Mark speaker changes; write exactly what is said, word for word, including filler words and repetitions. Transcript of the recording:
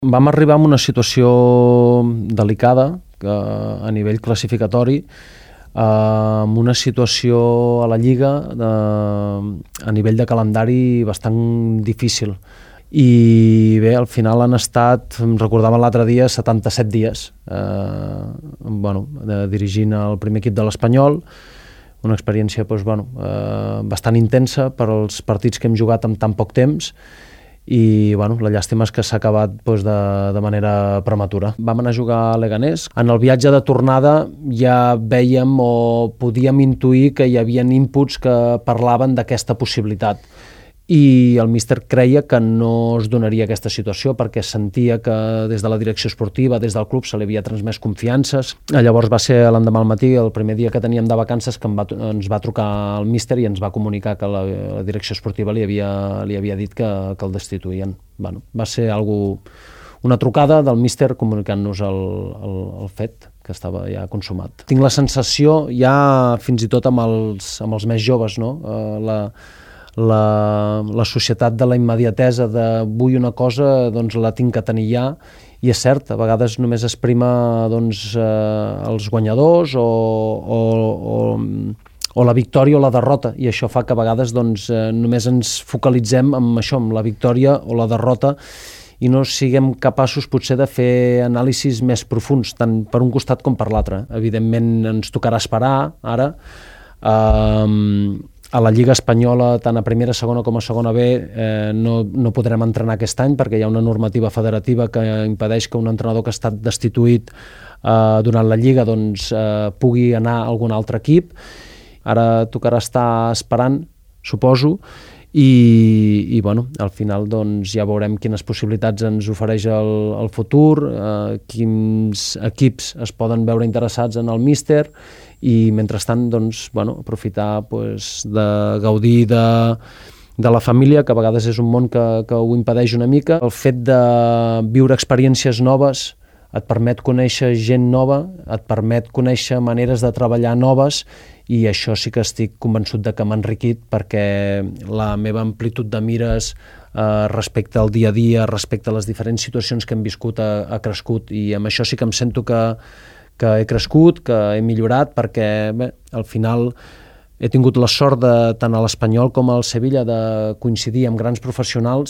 Speaker 1: Vam arribar en una situació delicada que, a nivell classificatori, eh, amb una situació a la Lliga de, a nivell de calendari bastant difícil. I bé, al final han estat, em recordava l'altre dia, setanta-set dies eh, bueno, de, dirigint el primer equip de l'Espanyol, una experiència doncs, bueno, eh, bastant intensa per als partits que hem jugat en tan poc temps, i bueno, la llàstima és que s'ha acabat doncs, de, de manera prematura. Vam anar a jugar a Leganés. En el viatge de tornada ja vèiem o podíem intuir que hi havia inputs que parlaven d'aquesta possibilitat. I el míster creia que no es donaria aquesta situació perquè sentia que des de la direcció esportiva, des del club, se li havia transmès confiances. Llavors va ser l'endemà al matí, el primer dia que teníem de vacances, que em va, ens va trucar el míster i ens va comunicar que la, la direcció esportiva li havia, li havia dit que, que el destituïen. Bueno, va ser algú, una trucada del míster comunicant-nos el, el, el fet que estava ja consumat. Tinc la sensació, ja fins i tot amb els, amb els més joves, no? Uh, la, La, la societat de la immediatesa de vull una cosa, doncs la tinc que tenir ja, i és cert, a vegades només es prima doncs, eh, els guanyadors o, o, o, o la victòria o la derrota, i això fa que a vegades doncs, eh, només ens focalitzem en això, en la victòria o la derrota, i no siguem capaços potser de fer anàlisis més profuns, tant per un costat com per l'altre. Evidentment ens tocarà esperar ara, eh, a la Lliga Espanyola, tant a primera, segona com a segona B, eh, no, no podrem entrenar aquest any perquè hi ha una normativa federativa que impedeix que un entrenador que ha estat destituït eh, durant la Lliga doncs, eh, pugui anar a algun altre equip. Ara tocarà estar esperant, suposo, i, i bueno, al final doncs, ja veurem quines possibilitats ens ofereix el, el futur, eh, quins equips es poden veure interessats en el míster, i mentrestant doncs, bueno, aprofitar pues, de gaudir de, de la família, que a vegades és un món que, que ho impedeix una mica. El fet de viure experiències noves et permet conèixer gent nova, et permet conèixer maneres de treballar noves, i això sí que estic convençut de que m'ha enriquit, perquè la meva amplitud de mires eh, respecte al dia a dia, respecte a les diferents situacions que hem viscut, ha, ha crescut, i amb això sí que em sento que que he crescut, que he millorat, perquè bé, al final he tingut la sort de, tant a l'Espanyol com al Sevilla, de coincidir amb grans professionals